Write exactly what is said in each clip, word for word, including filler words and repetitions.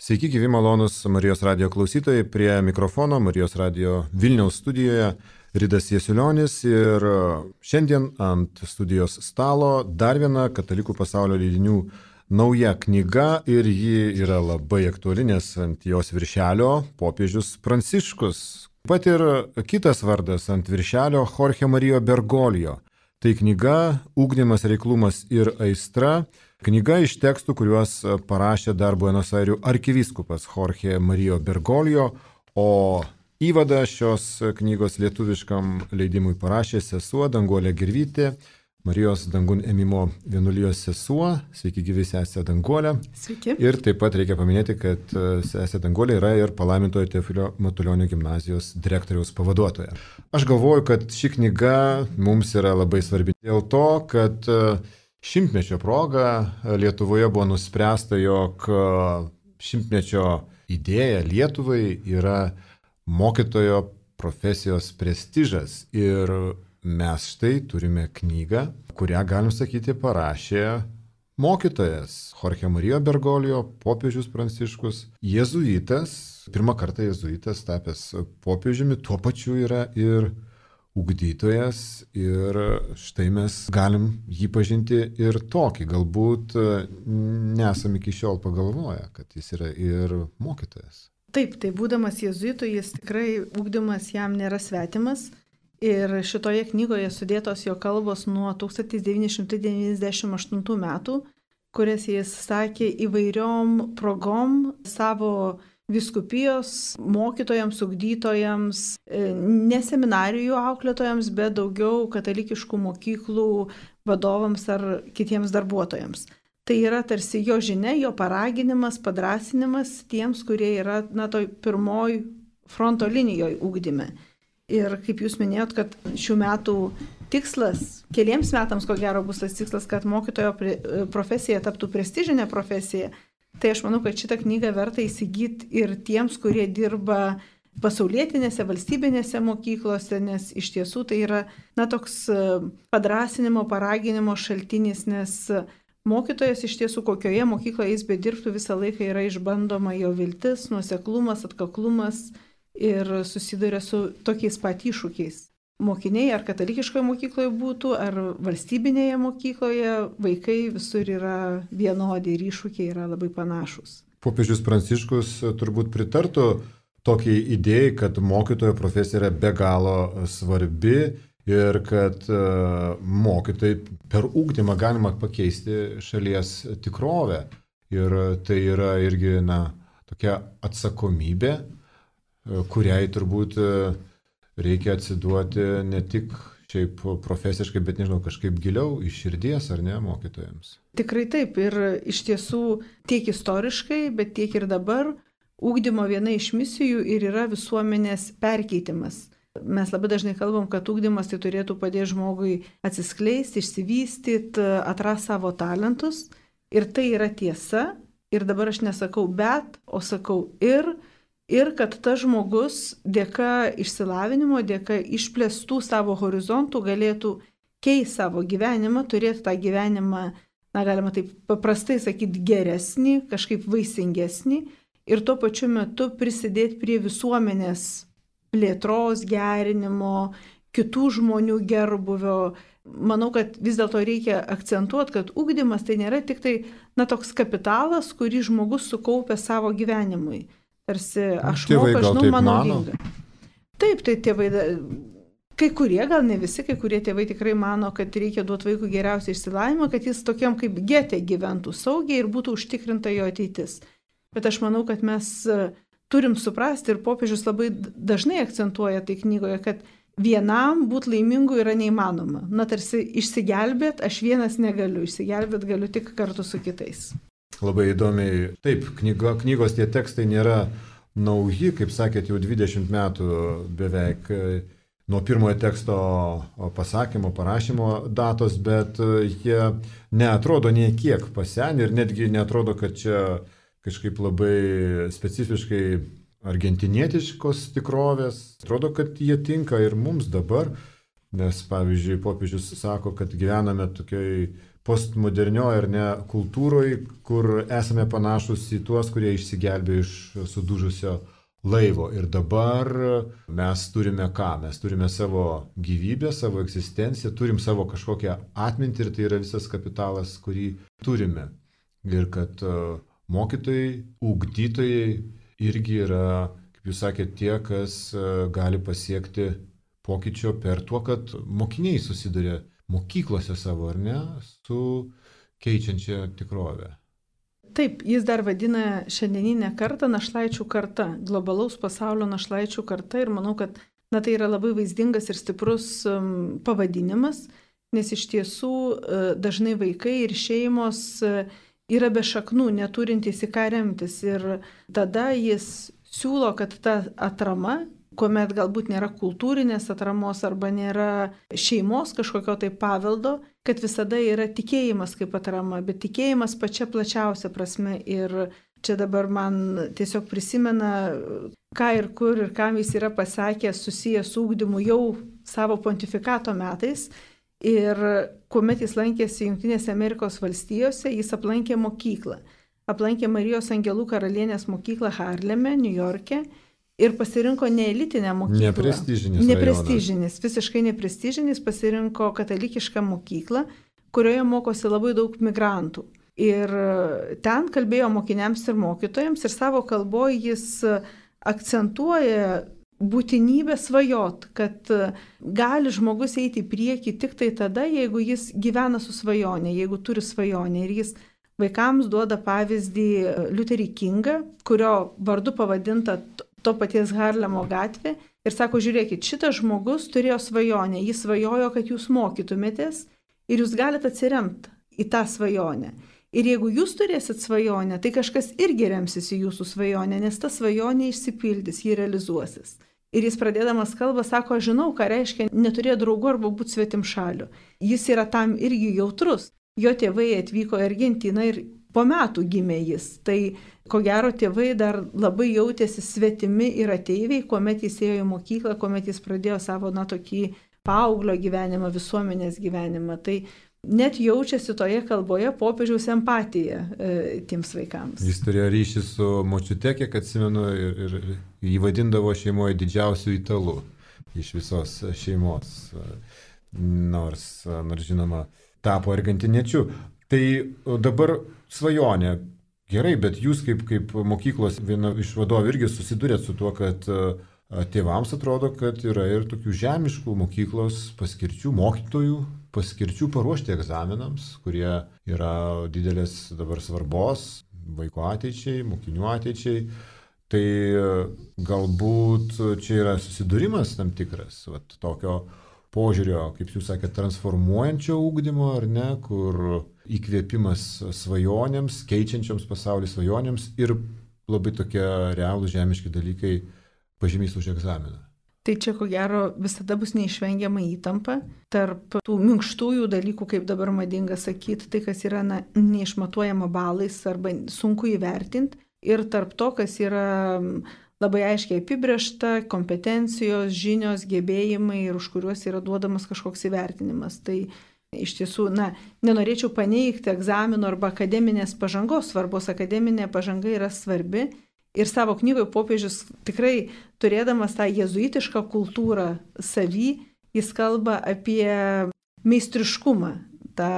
Sveiki, gyvi malonus Marijos radio klausytojai, prie mikrofono Marijos radio Vilniaus studijoje Ridas Jasiulionis ir šiandien ant studijos stalo dar viena Katalikų pasaulio leidinių nauja knyga ir ji yra labai aktuali, nes ant jos viršelio popiežius Pranciškus. Pat ir kitas vardas ant viršelio Jorge Mario Bergoglio. Tai knyga Ugdymas, reiklumas ir aistra. Knyga iš tekstų, kuriuos parašė dar Buenos Airių arkivyskupas Jorge Mario Bergoglio, o įvadą šios knygos lietuviškam leidimui parašė sesuo Danguolė Gervytė, Marijos dangun ėmimo vienuolijos sesuo. Sveiki, gyvi sesė Danguolė. Sveiki. Ir taip pat reikia paminėti, kad sesė Danguolė yra ir palaimintojo Teofilio Matulionio gimnazijos direktoriaus pavaduotoja. Aš galvoju, kad ši knyga mums yra labai svarbi dėl to, kad šimtmečio proga Lietuvoje buvo nuspręsta, jog šimtmečio idėja Lietuvai yra mokytojo profesijos prestižas. Ir mes štai turime knygą, kurią, galim sakyti, parašė mokytojas Jorge Mario Bergoglio, popiežius Pranciškus, jėzuitas, pirmą kartą jėzuitas tapęs popiežiumi, tuo pačiu yra ir ugdytojas, ir štai mes galim jį pažinti ir tokį. Galbūt nesam iki šiol pagalvoję, kad jis yra ir mokytojas. Taip, tai būdamas jėzuitu, jis tikrai ugdymas jam nėra svetimas. Ir šitoje knygoje sudėtos jo kalbos nuo tūkstantis devyni šimtai devyniasdešimt aštuntų metų, kurias jis sakė įvairiom progom savo vyskupijos mokytojams, ugdytojams, ne seminarijų auklėtojams, bet daugiau katalikiškų mokyklų vadovams ar kitiems darbuotojams. Tai yra tarsi jo žinia, jo paraginimas, padrasinimas tiems, kurie yra, na, toj pirmoj fronto linijoje ugdyme. Ir kaip jūs minėjot, kad šių metų tikslas, keliems metams ko gero bus tas tikslas, kad mokytojo profesija taptų prestižinė profesija, tai aš manau, kad šitą knygą verta įsigyti ir tiems, kurie dirba pasaulietinėse, valstybinėse mokyklose, nes iš tiesų tai yra, na, toks padrasinimo, paraginimo šaltinis, nes mokytojas iš tiesų, kokioje mokykloje jis bedirbtų, visą laiką yra išbandoma jo viltis, nuoseklumas, atkaklumas ir susiduria su tokiais pat iššūkiais. Mokiniai ar katalikiškoje mokykloje būtų, ar valstybinėje mokykloje, vaikai visur yra vienodi ir iššūkiai yra labai panašus. Popiežius Pranciškus turbūt pritartų tokiai idėjai, kad mokytojo profesija yra be galo svarbi ir kad mokytojai per ugdymą galima pakeisti šalies tikrovę. Ir tai yra irgi, na, tokia atsakomybė, kuriai turbūt reikia atsiduoti ne tik šiaip profesiškai, bet nežinau, kažkaip giliau iš širdies, ar ne, mokytojams? Tikrai taip. Ir iš tiesų tiek istoriškai, bet tiek ir dabar ugdymo viena iš misijų ir yra visuomenės perkeitimas. Mes labai dažnai kalbam, kad ugdymas tai turėtų padėti žmogui atsiskleisti, išsivystyti, atrasti savo talentus. Ir tai yra tiesa. Ir dabar aš nesakau bet, o sakau ir. Ir kad tas žmogus dėka išsilavinimo, dėka išplėstų savo horizontų galėtų keisti savo gyvenimą, turėti tą gyvenimą, na, galima taip paprastai sakyti, geresnį, kažkaip vaisingesnį ir tuo pačiu metu prisidėti prie visuomenės plėtros, gerinimo, kitų žmonių gerbuvio. Manau, kad vis dėlto reikia akcentuoti, kad ugdymas tai nėra tik tai, na, toks kapitalas, kurį žmogus sukaupia savo gyvenimui. Tarsi aš moku, aš žinau, mano lyga. Taip, tai tėvai, kai kurie, gal ne visi, kai kurie tėvai tikrai mano, kad reikia duoti vaikui geriausią išsilavinimą, kad jis tokiam kaip gete gyventų saugiai ir būtų užtikrinta jo ateitis. Bet aš manau, kad mes turim suprasti ir popiežius labai dažnai akcentuoja tai knygoje, kad vienam būti laimingu yra neįmanoma. Na, tarsi išsigelbėt, aš vienas negaliu, išsigelbėt galiu tik kartu su kitais. Labai įdomiai. Taip, knygo, knygos tie tekstai nėra nauji, kaip sakėt, jau dvidešimt metų beveik nuo pirmojo teksto pasakymo, parašymo datos, bet jie neatrodo nie kiek pasenę ir netgi neatrodo, kad čia kažkaip labai specifiškai argentinietiškos tikrovės. Atrodo, kad jie tinka ir mums dabar, nes, pavyzdžiui, popiežius sako, kad gyvename tokioj postmodernioje ar ne kultūroje, kur esame panašus į tuos, kurie išsigelbėjo iš sudužusio laivo. Ir dabar mes turime ką? Mes turime savo gyvybę, savo egzistenciją, turim savo kažkokią atmintį ir tai yra visas kapitalas, kurį turime. Ir kad mokytojai, ugdytojai irgi yra, kaip jūs sakėte, tie, kas gali pasiekti pokyčio per tuo, kad mokiniai susiduria mokyklose savo, ar ne, su keičiančia tikrovė. Taip, jis dar vadina šiandieninę kartą našlaičių karta, globalaus pasaulio našlaičių karta ir manau, kad na, tai yra labai vaizdingas ir stiprus um, pavadinimas, nes iš tiesų uh, dažnai vaikai ir šeimos uh, yra be šaknų, neturintys į ką remtis ir tada jis siūlo, kad ta atrama, kuomet galbūt nėra kultūrinės atramos arba nėra šeimos kažkokio tai paveldo, kad visada yra tikėjimas kaip atrama, bet tikėjimas pačia plačiausia prasme. Ir čia dabar man tiesiog prisimena, ką ir kur ir kam jis yra pasakęs susijęs su ugdymu jau savo pontifikato metais. Ir kuomet jis lankėsi Jungtinėse Amerikos valstijose, jis aplankė mokyklą. Aplankė Marijos Angelų karalienės mokyklą Harleme, Niujorke. Ir pasirinko neelitinę mokyklą. Neprestižinis. Neprestižinis, visiškai neprestižinis, pasirinko katalikišką mokyklą, kurioje mokosi labai daug migrantų. Ir ten kalbėjo mokiniams ir mokytojams ir savo kalboje jis akcentuoja būtinybę svajot, kad gali žmogus eiti į priekį tik tai tada, jeigu jis gyvena su svajonė, jeigu turi svajonę. Ir jis vaikams duoda pavyzdį Liuterį Kingą, kurio vardu pavadinta to paties Harlemo gatvė ir sako, žiūrėkit, šitas žmogus turėjo svajonę, jis svajojo, kad jūs mokytumėtės ir jūs galite atsiremti į tą svajonę. Ir jeigu jūs turėsit svajonę, tai kažkas irgi remsis į jūsų svajonę, nes ta svajonė išsipildys, ji realizuosis. Ir jis pradėdamas kalbą sako, aš žinau, ką reiškia neturėti draugų arba būti svetimšaliu. Jis yra tam irgi jautrus. Jo tėvai atvyko į Argentiną ir po metų gimė jis. Tai ko gero tėvai dar labai jautėsi svetimi ir ateiviai, kuomet jis ėjo į mokyklą, kuomet jis pradėjo savo, na, tokį paauglio gyvenimą, visuomenės gyvenimą. Tai net jaučiasi toje kalboje popiežiaus empatija e, tiems vaikams. Jis turėjo ryšį su močiute, kiek atsimenu, ir, ir jį vadindavo šeimoje didžiausių italų iš visos šeimos. Nors, nors žinoma, tapo argentiniečiu. Tai dabar svajonė. Gerai, bet jūs kaip, kaip mokyklos viena iš vadovų irgi susidurėt su tuo, kad tėvams atrodo, kad yra ir tokių žemiškų mokyklos paskirčių, mokytojų paskirčių paruošti egzaminams, kurie yra didelės dabar svarbos vaiko ateičiai, mokinių ateičiai. Tai galbūt čia yra susidūrimas tam tikras, vat, tokio požiūrio, kaip jūs sakėte, transformuojančio ugdymo, ar ne, kur įkvėpimas svajonėms, keičiančioms pasaulį svajonėms ir labai tokie realūs žemiški dalykai pažymys už egzaminą. Tai čia ko gero visada bus neišvengiama įtampa tarp tų minkštųjų dalykų, kaip dabar madinga sakyti, tai kas yra na, neišmatuojama balais arba sunku įvertinti, ir tarp to, kas yra labai aiškiai apibrėžta, kompetencijos, žinios, gebėjimai ir už kuriuos yra duodamas kažkoks įvertinimas. Tai iš tiesų, na, nenorėčiau paneigti egzamino arba akademinės pažangos svarbos. Akademinė pažanga yra svarbi ir savo knygoje popiežius tikrai turėdamas tą jėzuitišką kultūrą savy, jis kalba apie meistriškumą, tą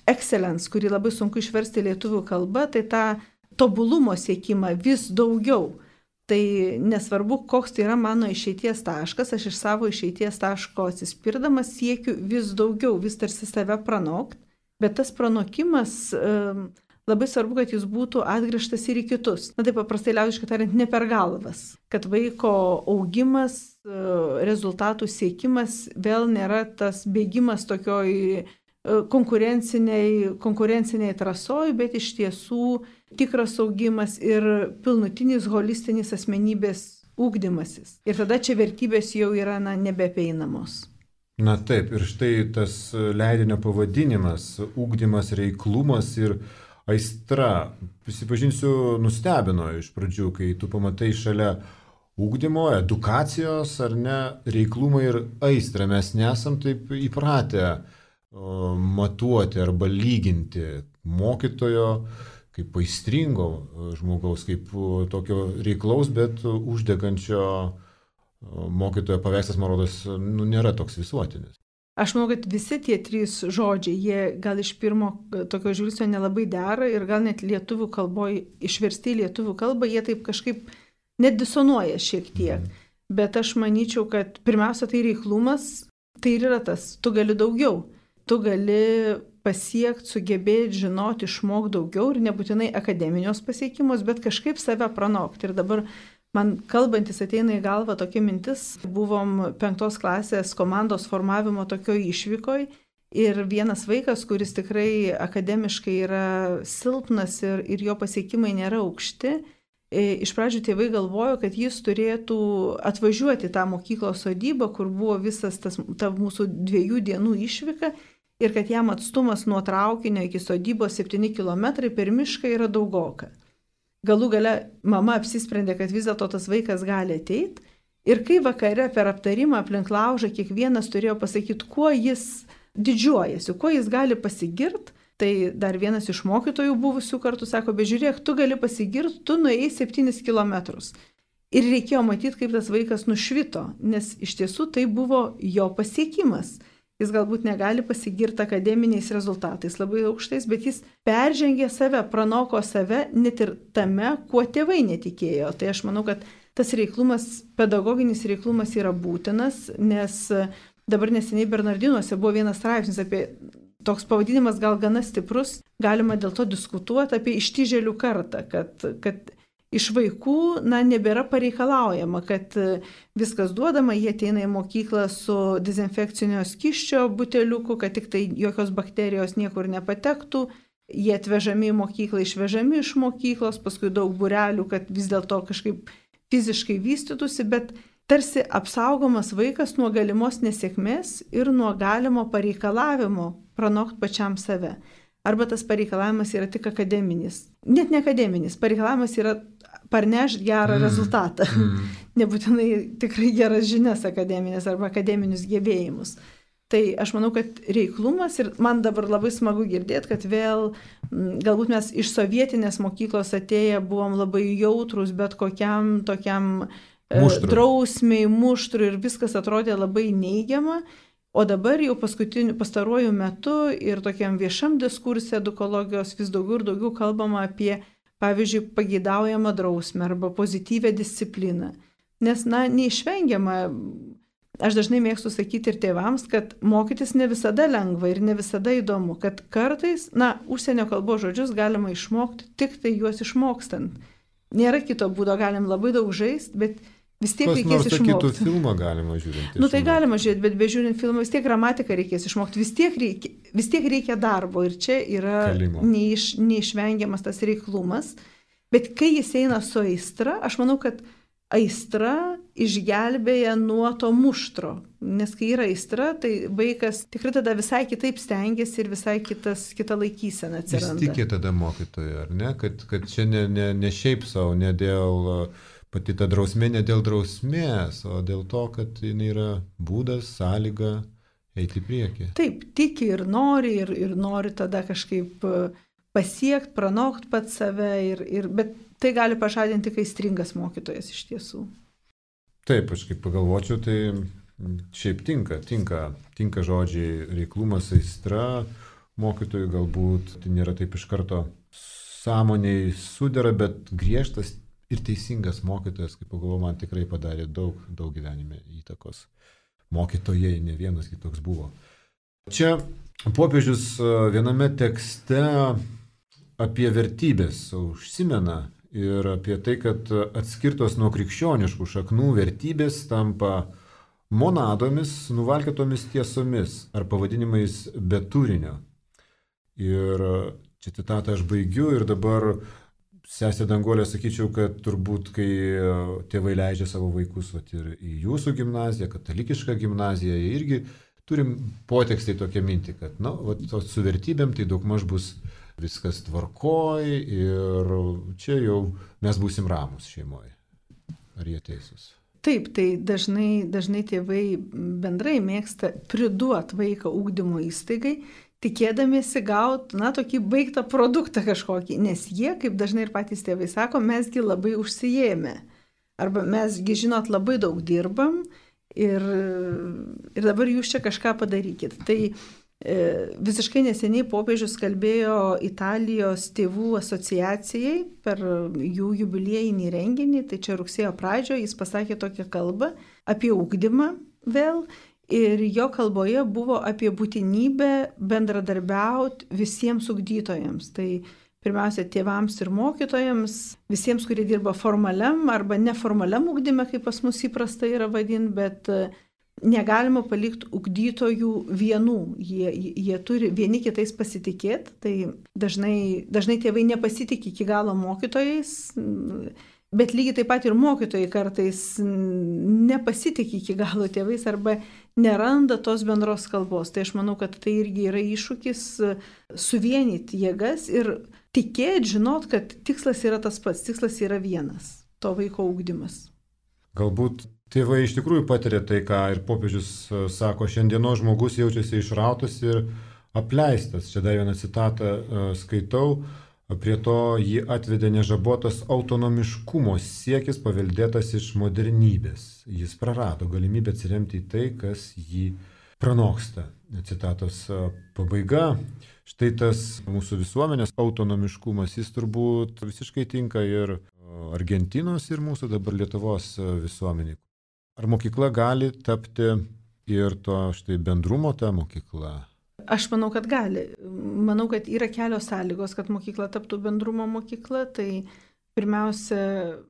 excellence, kurį labai sunku išversti lietuvių kalba, tai tą tobulumo siekimą vis daugiau. Tai nesvarbu, koks tai yra mano išeities taškas, aš iš savo išeities taško atsispirdamas siekiu vis daugiau, vis tarsi save pranokti, bet tas pranokimas um, labai svarbu, kad jis būtų atgrįžtas ir į kitus. Na taip paprastai liaudiškai tariant, ne per galvas, kad vaiko augimas, rezultatų siekimas vėl nėra tas bėgimas tokioj konkurenciniai, konkurenciniai trasoj, bet iš tiesų tikras augimas ir pilnutinis holistinis asmenybės ugdymasis. Ir tada čia vertybės jau yra na, nebeapeinamos. Na taip, ir štai tas leidinio pavadinimas, ugdymas, reiklumas ir aistra. Prisipažinsiu, nustebino iš pradžių, kai tu pamatai šalia ugdymo, edukacijos ar ne, reiklumą ir aistrą. Mes nesam taip įpratę matuoti arba lyginti mokytojo kaip aistringo žmogaus, kaip tokio reiklaus, bet uždegančio mokytojo paveikslas, man rodos, nu, nėra toks visuotinis. Aš manau, kad visi tie trys žodžiai, jie gal iš pirmo tokio žvilgsnio nelabai dera ir gal net lietuvių kalboje, išversti į lietuvių kalbą, jie taip kažkaip net disonuoja šiek tiek. Mm. Bet aš manyčiau, kad pirmiausia tai reiklumas, tai ir yra tas, tu gali daugiau. Tu gali pasiekti, sugebėti, žinoti, išmokti daugiau ir nebūtinai akademinios pasiekimus, bet kažkaip save pranokti. Ir dabar man kalbantis ateina į galvą tokia mintis, buvom penktos klasės komandos formavimo tokioj išvykoj ir vienas vaikas, kuris tikrai akademiškai yra silpnas ir, ir jo pasiekimai nėra aukšti, iš pradžių tėvai galvojo, kad jis turėtų atvažiuoti tą mokyklos sodybą, kur buvo visas tas, ta mūsų dviejų dienų išvyka ir kad jam atstumas nuo traukinio iki sodybos septyni kilometrai per mišką yra daugoka. Galų gale mama apsisprendė, kad vis dėlto tas vaikas gali ateiti ir kai vakare per aptarimą aplink laužą kiekvienas turėjo pasakyti, kuo jis didžiuojasi, kuo jis gali pasigirti, tai dar vienas iš mokytojų buvusių kartų sako, bet žiūrėk, tu gali pasigirti, tu nuėjai septynis kilometrus. Ir reikėjo matyti, kaip tas vaikas nušvito, nes iš tiesų tai buvo jo pasiekimas. Jis galbūt negali pasigirti akademiniais rezultatais labai aukštais, bet jis peržengė save, pranoko save net ir tame, kuo tėvai netikėjo. Tai aš manau, kad tas reiklumas, pedagoginis reiklumas yra būtinas, nes dabar neseniai Bernardinuose buvo vienas straipsnis apie, toks pavadinimas gal gana stiprus, galima dėl to diskutuoti apie ištižėlių kartą, kad, kad iš vaikų, na, nebėra pareikalaujama, kad viskas duodama, jie ateina į mokyklą su dezinfekcinio skysčio buteliuku, kad tik tai jokios bakterijos niekur nepatektų, jie atvežami į mokyklą, išvežami iš mokyklos, paskui daug būrelių, kad vis dėlto kažkaip fiziškai vystytųsi, bet tarsi apsaugomas vaikas nuo galimos nesėkmės ir nuo galimo pareikalavimo pranokti pačiam save. Arba tas pareikalavimas yra tik akademinis. Net ne akademinis, pareikalavimas yra parnešti gerą mm. rezultatą. Mm. Nebūtinai tikrai geras žinias akademinės arba akademinius gebėjimus. Tai aš manau, kad reiklumas ir man dabar labai smagu girdėti, kad vėl galbūt mes iš sovietinės mokyklos atėję buvom labai jautrus bet kokiam tokiam muštru. drausmiai, muštrui ir viskas atrodė labai neigiama. O dabar jau paskutiniu pastaruoju metu ir tokiam viešam diskursė edukologijos vis daugiau ir daugiau kalbama apie, pavyzdžiui, pageidaujamą drausmę arba pozityvę discipliną. Nes, na, neišvengiama, aš dažnai mėgstu sakyti ir tėvams, kad mokytis ne visada lengva ir ne visada įdomu, kad kartais, na, užsienio kalbos žodžius galima išmokti tik tai juos išmokstant. Nėra kito būdo, galim labai daug žaisti, bet vis tiek reikės išmokti. Nors sakytų, filmą galima žiūrėti. Nu tai galima žiūrėti, bet be žiūrint filmą vis tiek gramatiką reikės išmokti, vis tiek reikia, vis tiek reikia darbo ir čia yra neiš, neišvengiamas tas reiklumas. Bet kai jis eina su aistra, aš manau, kad aistra išgelbėja nuo to muštro. Nes kai yra aistra, tai vaikas tikrai tada visai kitaip stengiasi ir visai kitas, kita laikysena atsiranda. Jis tikė tada mokytojo, ar ne? Kad, kad čia ne, ne, ne šiaip savo, ne dėl... Pati ta drausmė ne dėl drausmės, o dėl to, kad jinai yra būdas, sąlyga eiti į priekį. Taip, tiki ir nori, ir, ir nori tada kažkaip pasiekti, pranokti pat save, ir, ir, bet tai gali pažadinti aistringas mokytojas iš tiesų. Taip, aš kaip pagalvočiau, tai šiaip tinka, tinka, tinka žodžiai reiklumas, aistra, mokytojui galbūt tai nėra taip iš karto sąmoniai sudera, bet griežtas ir teisingas mokytojas, kaip pagalvoju, man tikrai padarė daug, daug gyvenime įtakos. Mokytojai, ne vienas kitoks buvo. Čia popiežius viename tekste apie vertybės užsimena ir apie tai, kad atskirtos nuo krikščioniškų šaknų vertybės tampa monadomis, nuvalkėtomis tiesomis ar pavadinimais be turinio. Ir čia citatą aš baigiu ir dabar Sesė Danguolė, sakyčiau, kad turbūt, kai tėvai leidžia savo vaikus vat, ir į jūsų gimnaziją, katalikišką gimnaziją, irgi turim potekstį tokią mintį, kad na, vat, su vertybėm tai daugmaž bus viskas tvarkoj ir čia jau mes būsim ramus šeimoje. Ar jie teisūs? Taip, tai dažnai, dažnai tėvai bendrai mėgsta priduot vaiką ugdymo įstaigai, tikėdamiesi gauti, na, tokį baigtą produktą kažkokį, nes jie, kaip dažnai ir patys tėvai sako, mesgi labai užsijėmė. Arba mesgi, žinot, labai daug dirbam ir, ir dabar jūs čia kažką padarykit. Tai visiškai neseniai popiežius kalbėjo Italijos tėvų asociacijai per jų jubiliejinį renginį, tai čia rugsėjo pradžioje jis pasakė tokią kalbą apie ugdymą vėl ir jo kalboje buvo apie būtinybę bendradarbiauti visiems ugdytojams. Tai pirmiausia tėvams ir mokytojams, visiems, kurie dirba formaliam arba neformaliam ugdyme, kaip pas mus įprasta yra vadinti, bet negalima palikti ugdytojų vienų, jie, jie turi vieni kitais pasitikėti, tai dažnai, dažnai tėvai nepasitikė iki galo mokytojais, bet lygiai taip pat ir mokytojai kartais nepasitikė iki galo tėvais arba neranda tos bendros kalbos. Tai aš manau, kad tai irgi yra iššūkis suvienyti jėgas ir tikėti, žinot, kad tikslas yra tas pats, tikslas yra vienas, to vaiko ugdymas. Galbūt tėvai iš tikrųjų patiria tai, ką ir popiežius sako, šiandienos žmogus jaučiasi išrautas ir apleistas. Čia dar vieną citatą skaitau, prie to jį atvedė nežabotas autonomiškumo siekis paveldėtas iš modernybės. Jis prarado galimybę atsiremti į tai, kas jį pranoksta. Citatos pabaiga. Štai tas mūsų visuomenės autonomiškumas, jis turbūt visiškai tinka ir Argentinos ir mūsų dabar Lietuvos visuomeniai. Ar mokykla gali tapti ir to štai bendrumo ta mokykla? Aš manau, kad gali. Manau, kad yra kelios sąlygos, kad mokykla taptų bendrumo mokykla. Tai pirmiausia,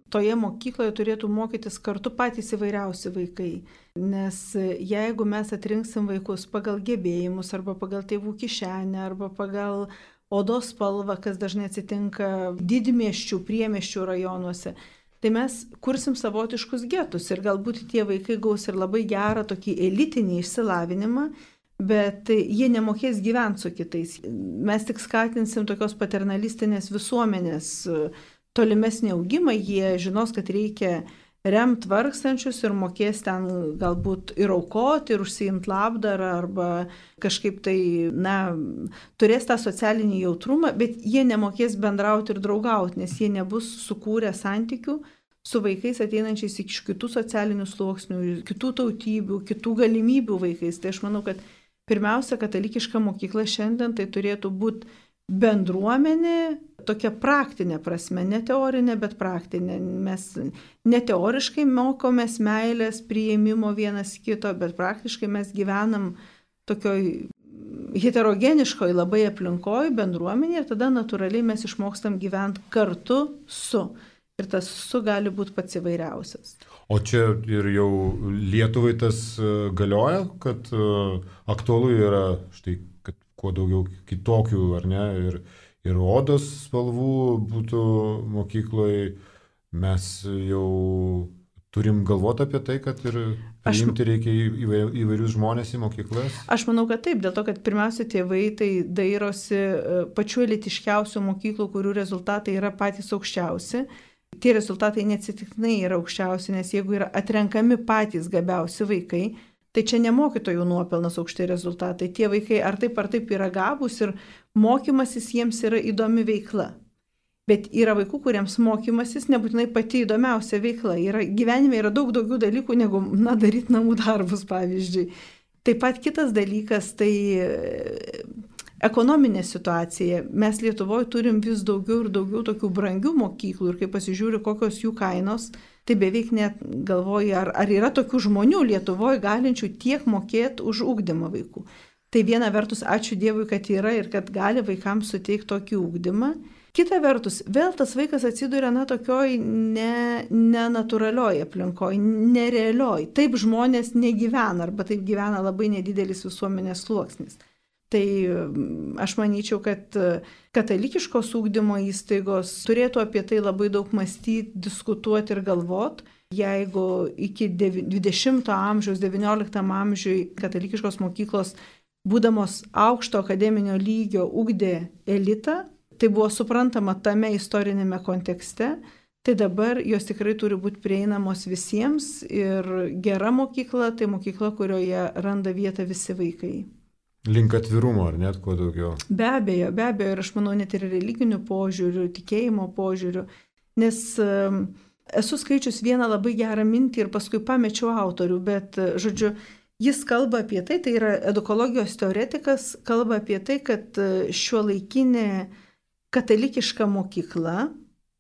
toje mokykloje turėtų mokytis kartu patys įvairiausi vaikai. Nes jeigu mes atrinksim vaikus pagal gebėjimus arba pagal tėvų kišenę arba pagal odos spalvą, kas dažnai atsitinka didmiesčių, priemiesčių rajonuose, tai mes kursim savotiškus getus ir galbūt tie vaikai gaus ir labai gerą tokį elitinį išsilavinimą, bet jie nemokės gyventi su kitais. Mes tik skatinsim tokios paternalistinės visuomenės tolimesnį augimą, jie žinos, kad reikia remt vargstančius ir mokės ten galbūt ir aukoti, ir užsiimti labdarą, arba kažkaip tai, na, turės tą socialinį jautrumą, bet jie nemokės bendrauti ir draugauti, nes jie nebus sukūrę santykių su vaikais ateinančiais iš kitų socialinių sluoksnių, kitų tautybių, kitų galimybių vaikais. Tai aš manau, kad pirmiausia, katalikiška mokykla šiandien tai turėtų būti bendruomenė, tokia praktinė prasme, ne teorinė, bet praktinė. Mes ne teoriškai mokomės meilės, priėmimo vienas kito, bet praktiškai mes gyvenam tokioj heterogeniškoj labai aplinkoj, bendruomenė, ir tada natūraliai mes išmokstam gyventi kartu su. Ir tas su gali būti pats įvairiausias. O čia ir jau Lietuvai tas galioja, kad aktualu yra štai, kad kuo daugiau kitokių, ar ne, ir, ir odos spalvų būtų mokykloje. Mes jau turim galvoti apie tai, kad ir priimti reikia įvairius žmonės į mokyklas? Aš manau, kad taip, dėl to, kad pirmiausia tėvai tai dairosi pačių elitiškiausių mokyklų, kurių rezultatai yra patys aukščiausi. Tie rezultatai neatsitiktinai yra aukščiausi, nes jeigu yra atrenkami patys gabiausi vaikai, tai čia ne mokytojų nuopelnas aukšti rezultatai. Tie vaikai ar taip ar taip yra gabūs ir mokymasis jiems yra įdomi veikla. Bet yra vaikų, kuriems mokymasis nebūtinai pati įdomiausia veikla. Yra, gyvenime yra daug daugiau dalykų, negu, na, daryti namų darbus, pavyzdžiui. Taip pat kitas dalykas, tai ekonominė situacija. Mes Lietuvoje turim vis daugiau ir daugiau tokių brangių mokyklų ir kai pasižiūri, kokios jų kainos, tai beveik net galvoji, ar, ar yra tokių žmonių Lietuvoje galinčių tiek mokėti už ugdymą vaikų. Tai viena vertus, ačiū Dievui, kad yra ir kad gali vaikams suteikti tokį ugdymą. Kita vertus, vėl tas vaikas atsiduria na tokioj nenatūralioj aplinkoje, nerealioj. Taip žmonės negyvena arba taip gyvena labai nedidelis visuomenės sluoksnis. Tai aš manyčiau, kad katalikiškos ugdymo įstaigos turėtų apie tai labai daug mąstyti, diskutuoti ir galvoti. Jeigu iki dvidešimto amžiaus, devynioliktam amžiui katalikiškos mokyklos, būdamos aukšto akademinio lygio, ugdė elitą, tai buvo suprantama tame istorinėme kontekste, tai dabar jos tikrai turi būti prieinamos visiems ir gera mokykla, tai mokykla, kurioje randa vietą visi vaikai. Link atvirumo, ar net kuo daugiau? Be abejo, be abejo, ir aš manau net ir religinių požiūrių, tikėjimo požiūrių, nes um, esu skaičius vieną labai gerą mintį ir paskui pamečiau autorių, bet, žodžiu, jis kalba apie tai, tai yra edukologijos teoretikas, kalba apie tai, kad šiuolaikinė katalikiška mokykla,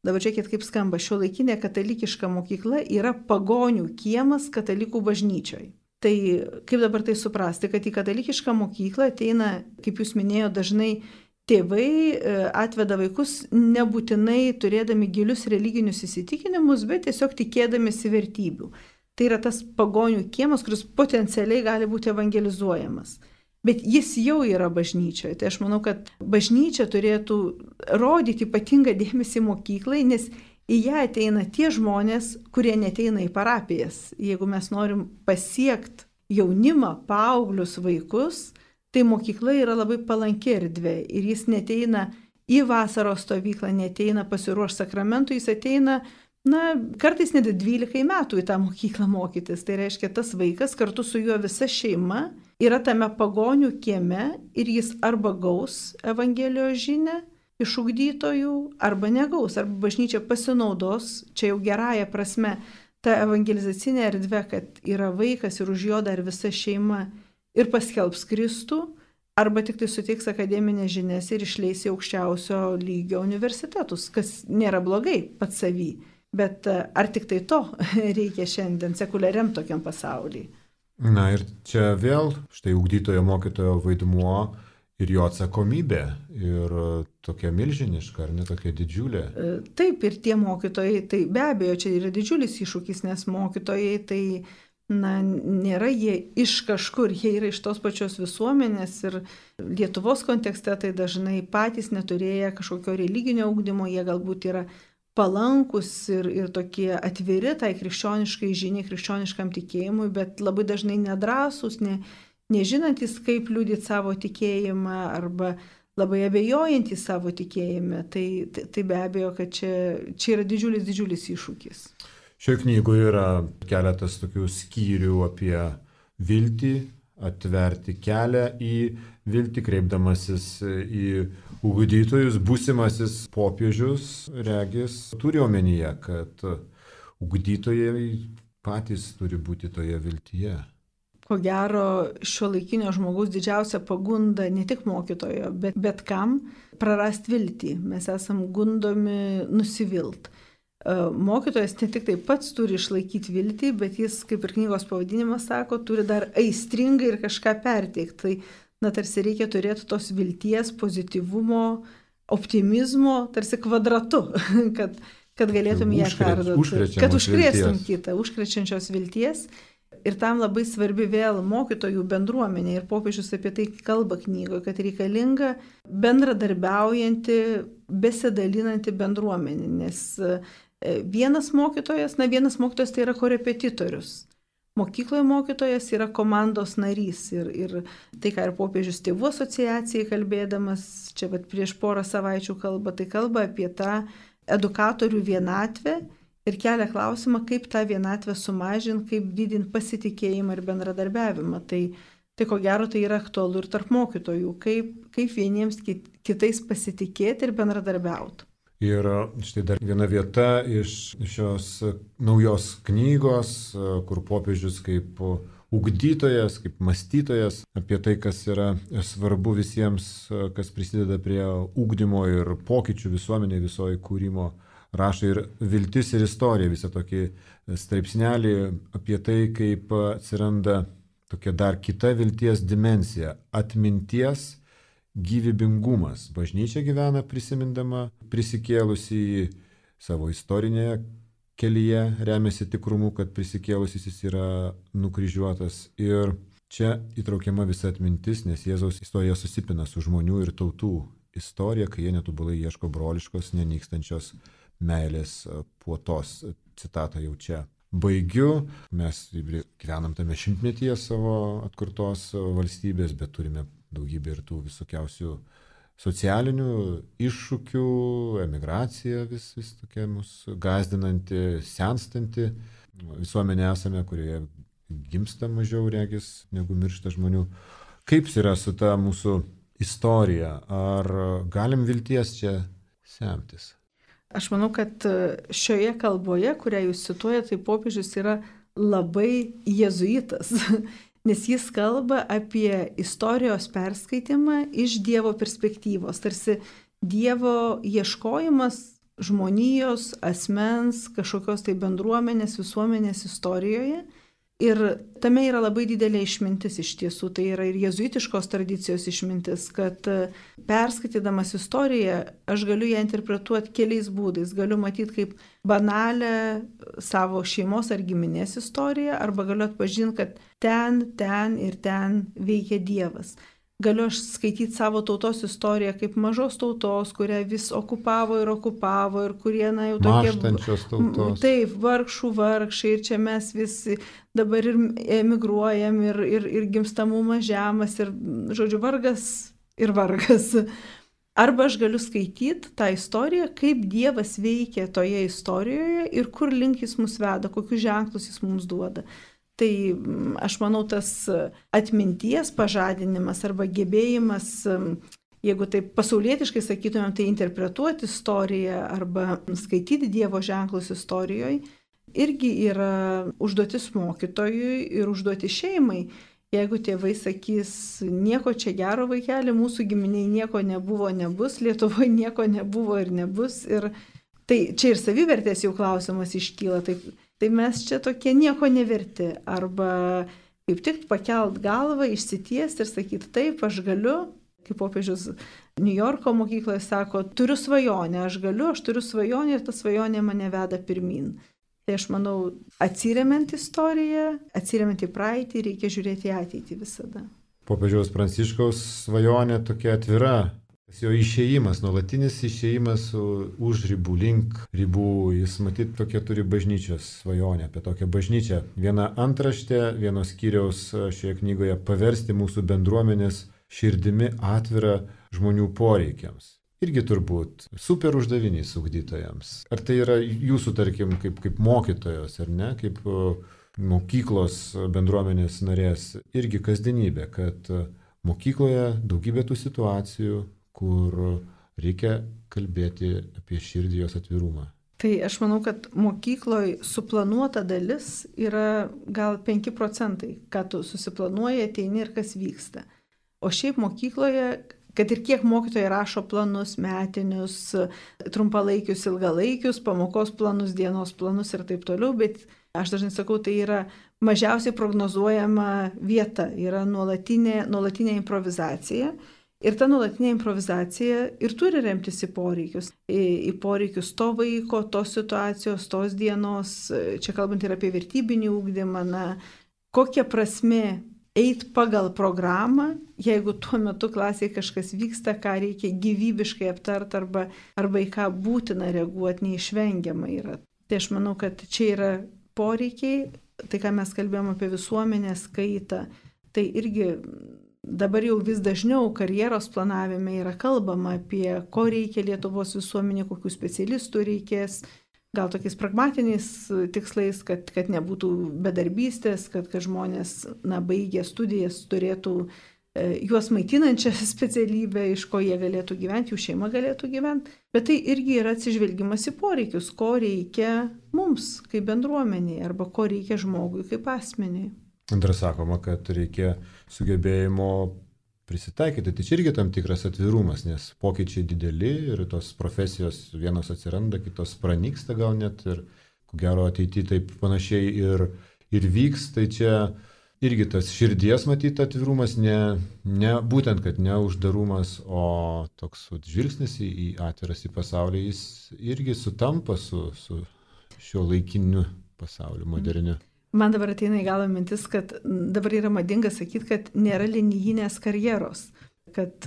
dabar žiūrėkit, kaip skamba, šiuolaikinė katalikiška mokykla yra pagonių kiemas katalikų bažnyčioj. Tai kaip dabar tai suprasti, kad į katalikišką mokyklą ateina, kaip jūs minėjote, dažnai tėvai atveda vaikus nebūtinai turėdami gilius religinius įsitikinimus, bet tiesiog tikėdamėsi vertybių. Tai yra tas pagonių kiemas, kuris potencialiai gali būti evangelizuojamas. Bet jis jau yra bažnyčioje. Tai aš manau, kad bažnyčia turėtų rodyti ypatingą dėmesį mokyklai, nes į ją ateina tie žmonės, kurie neteina į parapijas. Jeigu mes norim pasiekti jaunimą, paauglius, vaikus, tai mokykla yra labai palanki erdvė ir jis neteina į vasaros stovyklą, neteina pasiruošti sakramentų, jis ateina, na, kartais net dvylikai metų į tą mokyklą mokytis. Tai reiškia, tas vaikas kartu su juo visa šeima yra tame pagonių kieme ir jis arba gaus Evangelijos žinią iš ugdytojų, arba negaus, arba bažnyčia pasinaudos, čia jau gerąją prasme, ta evangelizacinė erdvė, kad yra vaikas ir už jo dar visa šeima ir paskelbs Kristų, arba tik tai suteiks akademinės žinias ir išleis į aukščiausio lygio universitetus, kas nėra blogai pats savy. Bet ar tik tai to reikia šiandien sekuliariam tokiam pasauliui? Na ir čia vėl štai ugdytojo mokytojo vaidmuo ir jo atsakomybė ir tokia milžiniška, ar ne tokia didžiulė. Taip, ir tie mokytojai, tai be abejo, čia yra didžiulis iššūkis, nes mokytojai tai, na, nėra jie iš kažkur, jie yra iš tos pačios visuomenės ir Lietuvos kontekste tai dažnai patys neturėję kažkokio religinio ugdymo, jie galbūt yra palankus ir, ir tokie atviri tai krikščioniškai žiniai, krikščioniškam tikėjimui, bet labai dažnai nedrąsūs, ne, nežinantys, kaip liudyti savo tikėjimą arba labai abejojantys savo tikėjime. Tai, tai, tai be abejo, kad čia, čia yra didžiulis, didžiulis iššūkis. Šioje knygoje yra keletas tokių skyrių apie viltį, atverti kelią į viltį, kreipdamasis į ugdytojus, būsimasis popiežius, regis, turi omenyje, kad ugdytojai patys turi būti toje viltyje. Ko gero, šiuolaikinio žmogaus didžiausia pagunda ne tik mokytojo, bet, bet kam prarasti viltį. Mes esam gundomi nusivilt. Mokytojas ne tik tai pats turi išlaikyti viltį, bet jis, kaip ir knygos pavadinimas sako, turi dar aistringai ir kažką perteikti. Tai, na, tarsi reikia turėti tos vilties, pozityvumo, optimizmo, tarsi kvadratu, kad, kad galėtum ją perduoti. Kad užkrėstum vilties. Kitą, užkrečiančios vilties. Ir tam labai svarbi vėl mokytojų bendruomenė ir popiežius apie tai kalba knygoje, kad reikalinga bendradarbiaujanti, besidalinanti bendruomenė, nes vienas mokytojas, na vienas mokytojas tai yra korepetitorius. Mokykloje mokytojas yra komandos narys ir, ir tai, ką ir popiežius tėvų asociacijai kalbėdamas, čia vat prieš porą savaičių kalba, tai kalba apie tą edukatorių vienatvę. Ir kelia klausimą, kaip tą vienatvę sumažinti, kaip didinti pasitikėjimą ir bendradarbiavimą. Tai, tai ko gero tai yra aktualu ir tarp mokytojų, kaip, kaip vieniems kitais pasitikėti ir bendradarbiauti. Ir štai dar viena vieta iš šios naujos knygos, kur popiežius kaip ugdytojas, kaip mąstytojas apie tai, kas yra svarbu visiems, kas prisideda prie ugdymo ir pokyčių visuomenėje, visoje kūrimo, rašo ir viltis ir istorija, visą tokį straipsnelį apie tai, kaip atsiranda tokia dar kita vilties dimensija - atminties gyvybingumas. Bažnyčia gyvena prisimindama prisikėlusi į savo istorinėje kelyje, remiasi tikrumu, kad prisikėlusis jis yra nukryžiuotas. Ir čia įtraukiama visa atmintis, nes Jėzaus istorija susipina su žmonių ir tautų istorija, kai jie netobulai ieško broliškos, nenykstančios meilės puotos. Citatą jau čia baigiu. Mes gyvenam tame šimtmetyje savo atkurtos valstybės, bet turime daugybę ir tų visokiausių socialinių iššūkių, emigracija vis, vis tokia mūsų gazdinanti, senstanti. Visuomenė esame, kurioje gimsta mažiau regis negu miršta žmonių. Kaip yra su ta mūsų istorija? Ar galim vilties čia semtis? Aš manau, kad šioje kalboje, kurią jūs cituojate, tai popiežius yra labai jėzuitas, nes jis kalba apie istorijos perskaitimą iš Dievo perspektyvos, tarsi Dievo ieškojimas žmonijos, asmens, kažkokios tai bendruomenės, visuomenės istorijoje. Ir tame yra labai didelė išmintis iš tiesų, tai yra ir jėzuitiškos tradicijos išmintis, kad perskaitydamas istoriją aš galiu ją interpretuoti keliais būdais. Galiu matyti kaip banalią savo šeimos ar giminės istoriją, arba galiu atpažinti, kad ten, ten ir ten veikia Dievas. Galiu aš skaityti savo tautos istoriją kaip mažos tautos, kurią vis okupavo ir okupavo ir kurie, na, jau tokie... Mąštančios tautos. Taip, vargšų vargšai ir čia mes visi dabar ir emigruojam ir, ir, ir gimstamumas žemas ir, žodžiu, vargas ir vargas. Arba aš galiu skaityti tą istoriją, kaip Dievas veikia toje istorijoje ir kur link jis mus veda, kokius ženklus jis mums duoda. Tai aš manau, tas atminties pažadinimas arba gebėjimas, jeigu taip pasaulietiškai sakytumėm, tai interpretuoti istoriją arba skaityti Dievo ženklus istorijoje, irgi yra užduotis mokytojui ir užduotis šeimai. Jeigu tėvai sakys, nieko čia gero vaikeli, mūsų giminiai nieko nebuvo, nebus, Lietuvoje nieko nebuvo ir nebus. Ir tai čia ir savivertės jau klausimas iškyla. Tai, tai mes čia tokie nieko neverti. Arba kaip tik pakelt galvą, išsitiesti ir sakyti, taip, aš galiu, kaip popiežius New Yorko mokykloje sako, turiu svajonę, aš galiu, aš turiu svajonę ir ta svajonė mane veda pirmin. Tai aš manau, atsiremiant istoriją, atsiremiant į praeitį, reikia žiūrėti į ateitį visada. Popiežiaus Pranciškaus svajonė tokia atvira. Jo išėjimas, nuolatinis išėjimas už ribų, link ribų, jis matyt tokia turi bažnyčios svajonę, apie tokią bažnyčią. Viena antraštė, vienos skyriaus šioje knygoje paversti mūsų bendruomenės širdimi atvirą žmonių poreikiams. Irgi turbūt super uždavinys ugdytojams. Ar tai yra jūsų, tarkim, kaip, kaip mokytojos, ar ne, kaip mokyklos bendruomenės narės, irgi kasdienybė, kad mokykloje daugybė tų situacijų, kur reikia kalbėti apie širdį, jos atvirumą. Tai aš manau, kad mokykloje suplanuota dalis yra gal penki procentai, ką tu susiplanuoji, ateini ir kas vyksta. O šiaip mokykloje, kad ir kiek mokytojai rašo planus, metinius, trumpalaikius, ilgalaikius, pamokos planus, dienos planus ir taip toliau, bet aš dažnai sakau, tai yra mažiausiai prognozuojama vieta, yra nuolatinė, nuolatinė improvizacija. Ir ta nuolatinė improvizacija ir turi remtis į poreikius. Į, į poreikius to vaiko, tos situacijos, tos dienos, čia kalbant ir apie vertybinį ugdymą, na, kokia prasmė eiti pagal programą, jeigu tuo metu klasėje kažkas vyksta, ką reikia gyvybiškai aptart arba, arba į ką būtina reaguoti, neišvengiama yra. Tai aš manau, kad čia yra poreikiai, tai ką mes kalbėjome apie visuomenės kaitą, tai irgi dabar jau vis dažniau karjeros planavime yra kalbama apie, ko reikia Lietuvos visuomenė, kokių specialistų reikės, gal tokiais pragmatiniais tikslais, kad, kad nebūtų bedarbystės, kad, kad žmonės, na, baigę studijas turėtų e, juos maitinančią specialybę, iš ko jie galėtų gyventi, jų šeima galėtų gyventi. Bet tai irgi yra atsižvelgimas į poreikius, ko reikia mums kaip bendruomeniai arba ko reikia žmogui kaip asmeniai. Antra sakoma, kad reikia sugebėjimo prisitaikyti. Tai čia irgi tam tikras atvirumas, nes pokyčiai dideli ir tos profesijos vienos atsiranda, kitos pranyksta gal net ir ko gero ateityje taip panašiai ir, ir vyks. Tai čia irgi tas širdies matyti atvirumas, ne, ne būtent, kad ne uždarumas, o toks žvilgsnis į, į atviras į pasaulį, jis irgi sutampa su, su šio laikiniu pasauliu moderniu. Man dabar ateina į galvą mintis, kad dabar yra madinga sakyti, kad nėra linijinės karjeros. Kad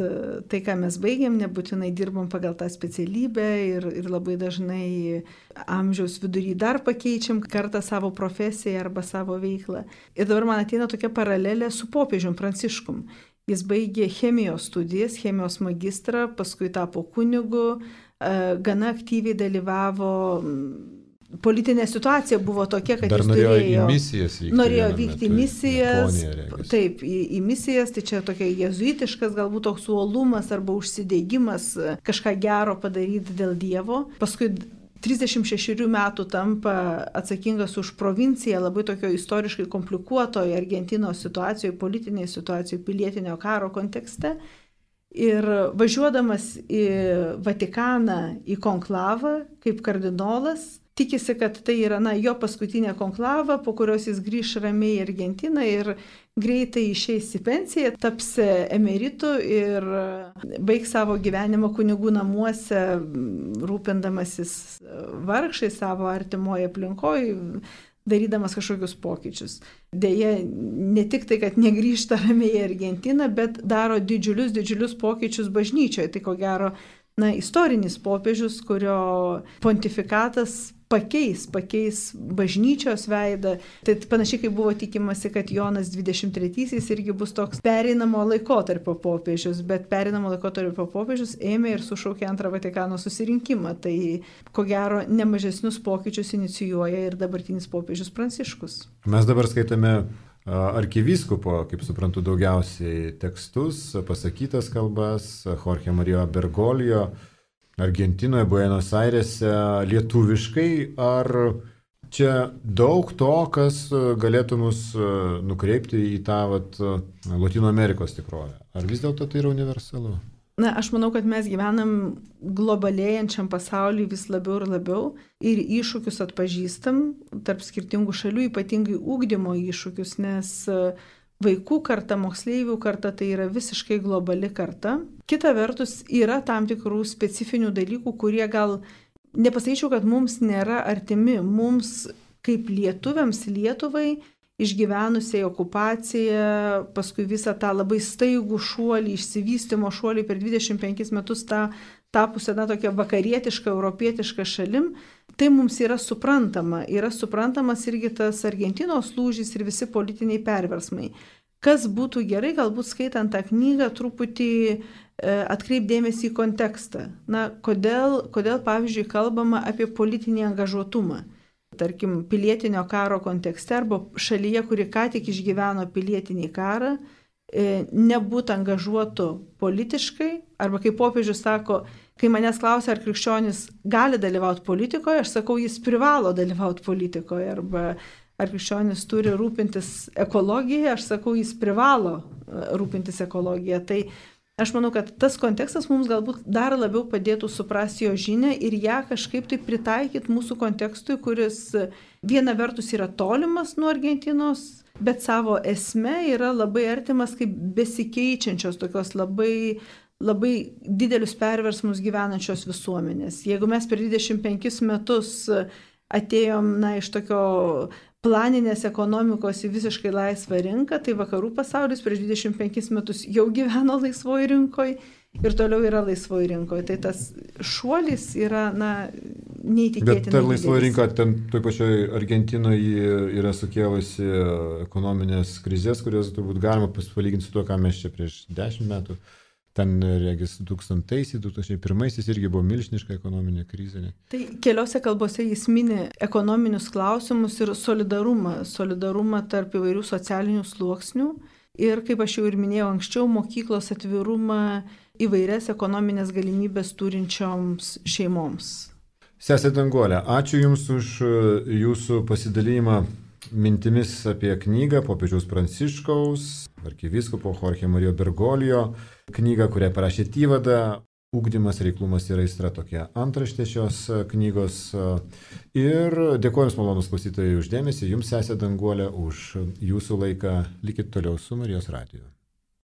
tai, ką mes baigėm, nebūtinai dirbom pagal tą specialybę ir, ir labai dažnai amžiaus vidury dar pakeičiam kartą savo profesiją arba savo veiklą. Ir dabar man ateina tokia paralelė su popiežium Pranciškum. Jis baigė chemijos studijas, chemijos magistrą, paskui tapo kunigu, gana aktyviai dalyvavo. Politinė situacija buvo tokia, kad Dar jis norėjo turėjo, į misijas vykti. norėjo vykti į misijas, Japoniją, taip, į, į misijas, tai čia tokia jezuitiškas, galbūt toks uolumas arba užsidėgymas kažką gero padaryti dėl Dievo. Paskui trisdešimt šešerių metų tampa atsakingas už provinciją labai tokio istoriškai komplikuotoje Argentinos situacijoje, politinėje situacijoje, pilietinio karo kontekste. Ir važiuodamas į Vatikaną, į konklavą kaip kardinolas, tikisi, kad tai yra na, jo paskutinė konklava, po kurios jis grįš ramiai į Argentiną ir greitai išeis į pensiją, taps emeritu ir baigs savo gyvenimą kunigų namuose, rūpindamasis vargšais savo artimoje aplinkoje, darydamas kažkokius pokyčius. Deja, ne tik tai, kad negrįžta ramiai į Argentiną, bet daro didžiulius, didžiulius pokyčius bažnyčioje. Tai ko gero, na, istorinis popiežius, kurio pontifikatas pakeis, pakeis bažnyčios veidą. Tai panašiai kaip buvo tikimasi, kad Jonas dvidešimt trečiaisiais irgi bus toks pereinamo laikotarpio popiežius, bet pereinamo laikotarpio popiežius ėmė ir sušaukė antrą Vatikano susirinkimą. Tai ko gero nemažesnius pokyčius inicijuoja ir dabartinis popiežius Pranciškus. Mes dabar skaitame arkivyskupo, kaip suprantu, daugiausiai tekstus, pasakytas kalbas, Jorge Mario Bergoglio, Argentinoje, Buenos Airėse, lietuviškai. Ar čia daug to, kas galėtų mus nukreipti į tą vat, Latino Amerikos tikrovę? Ar vis dėlto tai yra universalu? Na, aš manau, kad mes gyvenam globalėjančiam pasauliu vis labiau ir labiau ir iššūkius atpažįstam tarp skirtingų šalių, ypatingai ugdymo iššūkius, nes vaikų karta, moksleivių karta tai yra visiškai globali karta. Kita vertus, yra tam tikrų specifinių dalykų, kurie gal, nepasakyčiau, kad mums nėra artimi, mums kaip lietuviams, Lietuvai, išgyvenusiai okupaciją, paskui visą tą labai staigų šuolį, išsivystymo šuolį per dvidešimt penkis metus tą tapusią na, tokią vakarietišką, europietišką šalim, tai mums yra suprantama. Yra suprantamas irgi tas Argentinos lūžis ir visi politiniai perversmai. Kas būtų gerai, galbūt skaitant tą knygą, truputį e, atkreipdėmėsi į kontekstą. Na, kodėl, kodėl, pavyzdžiui, kalbama apie politinį angažuotumą. Tarkim, pilietinio karo kontekste arba šalyje, kuri ką tik išgyveno pilietinį karą, e, nebūt angažuotų politiškai, arba kaip popiežius sako, kai manęs klausia, ar krikščionis gali dalyvauti politikoje, aš sakau, jis privalo dalyvauti politikoje, arba ar krikščionis turi rūpintis ekologiją, aš sakau, jis privalo rūpintis ekologiją. Tai aš manau, kad tas kontekstas mums galbūt dar labiau padėtų suprasti jo žinią ir ją kažkaip tai pritaikyti mūsų kontekstui, kuris viena vertus yra tolimas nuo Argentinos, bet savo esme yra labai artimas kaip besikeičiančios, tokios labai, labai didelius perversmus gyvenančios visuomenės. Jeigu mes per dvidešimt penkis metus atėjom na, iš tokio planinės ekonomikos į visiškai laisvą rinką, tai vakarų pasaulis prieš dvidešimt penkis metus jau gyveno laisvoje rinkoje ir toliau yra laisvoje rinkoje. Tai tas šuolis yra na, neįtikėtinai. Bet ta laisvoji rinka, ten toj pačioj Argentinoje yra sukėlusi ekonominės krizės, kurios turbūt galima palyginti su to, ką mes čia prieš dešimt metų. Ten, regis, du tūkstantaisiais, du tūkstančiai pirmaisiais irgi buvo milžiniška ekonominė krizė. Tai keliose kalbose jis mini ekonominius klausimus ir solidarumą, solidarumą tarp įvairių socialinių sluoksnių ir, kaip aš jau ir minėjau anksčiau, mokyklos atvirumą įvairias ekonominės galimybės turinčioms šeimoms. Sesė Danguolė, ačiū Jums už Jūsų pasidalymą mintimis apie knygą popiežiaus Pranciškaus, arkivyskupo Jorge Mario Bergoglio knygą, kurią parašėte įvadą. Ugdymas, reiklumas ir aistra, tokia antraštė šios knygos. Ir dėkoju Jums, malonūs klausytojai, už dėmesį. Jums, sesė Danguolė, už Jūsų laiką. Likit toliau su Marijos radiju.